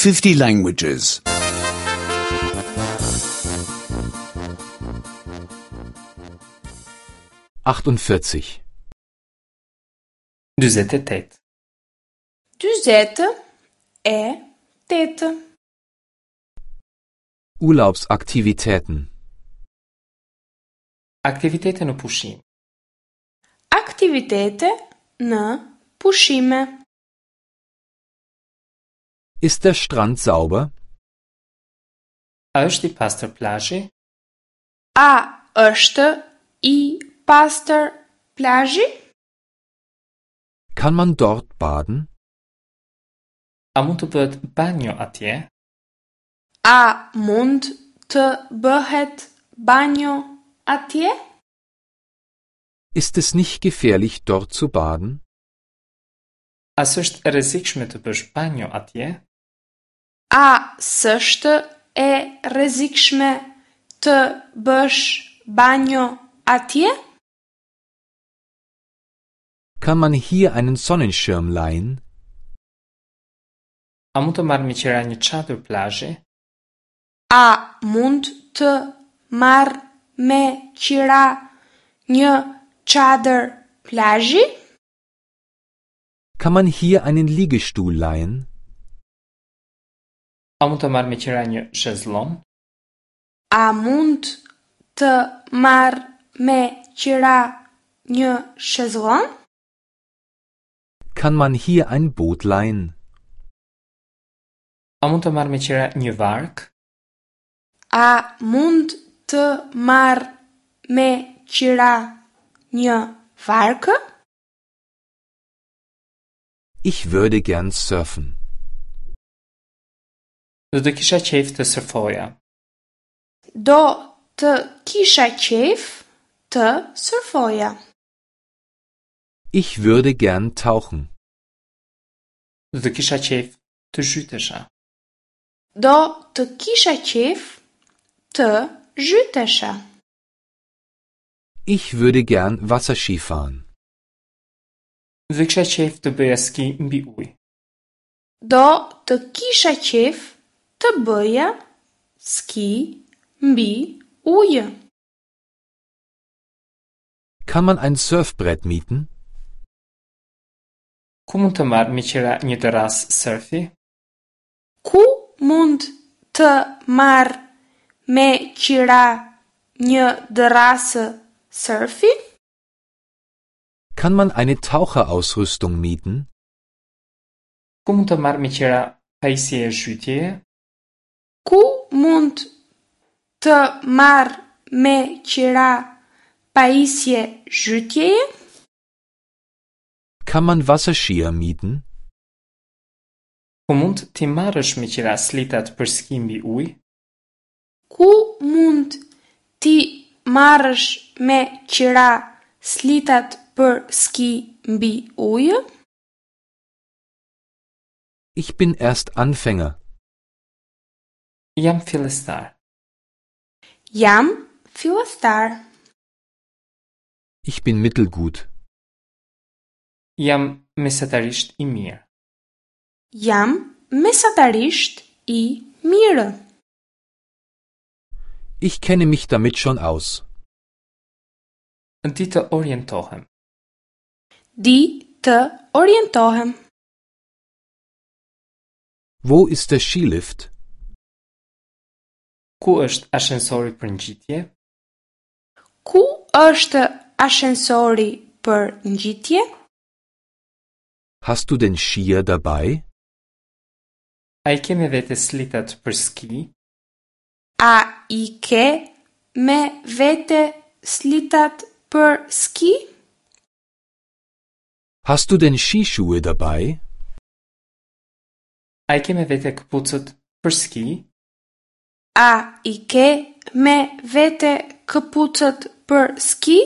50 languages. 48. 48. 48. Urlaubsaktivitäten. Aktivitete në pushim. Aktivitete në pushime. Ist der Strand sauber? A është i pastër plazhi? A është i pastër plazhi? Kann man dort baden? A mund të bëhet banjo atje? A mund të bëhet banjo atje? Ist es nicht gefährlich, dort zu baden? A s'është e rrezikshme të bësh banjo atje? A s'është e rrezikshme të bësh banjo atje? Kann man hier einen Sonnenschirm leihen? A mund të marr me qira një çadër plazhi? A mund të marr me qira një çadër plazhi? Kann man hier einen Liegestuhl leihen? A mund të marr me qira një shezlon? A mund të marr me qira një shezlon? Kann man hier ein Boot leihen? A mund të marr me qira një varkë? A mund të marr me qira një varkë? Ich würde gern surfen. Do të kisha qejf të surfoja. Do të kisha qejf të surfoja. Ich würde gern tauchen. Do të kisha qejf të zhytesha. Do të kisha qejf të zhytesha. Ich würde gern Wasserski fahren. Do të kisha qejf të bëja ski mbi ujë. Do të kisha qejf të bëja ski mbi ujë. Kann man ein Surfbrett mieten? Ku mund të marr me qira një dërrasë surfi? Ku mund të marr me qira një dërrasë surfi? Kann man eine Taucherausrüstung mieten? Ku mund të marr me qira pajisje zhytjeje? Ku mund të marr me qira pajisje zhytjeje? Kann man Wasserskier mieten? Ku mund t'i marrësh me qira slitat për ski mbi ujë? Ku mund t'i marrësh me qira slitat për ski mbi ujë? Ich bin erst Anfänger. Jam fillestar. Jam fillestar. Ich bin mittelgut. Jam mesatarisht i mirë. Jam mesatarisht i mirë. Ich kenne mich damit schon aus. Di të orientohem. Di të orientohem. Wo ist der Skilift? Ku është ashensori për ngjitje? Ku është ashensori për ngjitje? Hast du denn Skier dabei? A i ke me vete slitat për ski? A i ke me vete slitat për ski? Hast du denn Skischuhe dabei? A i ke me vete këpucët për ski? A i ke me vete këpucët për ski?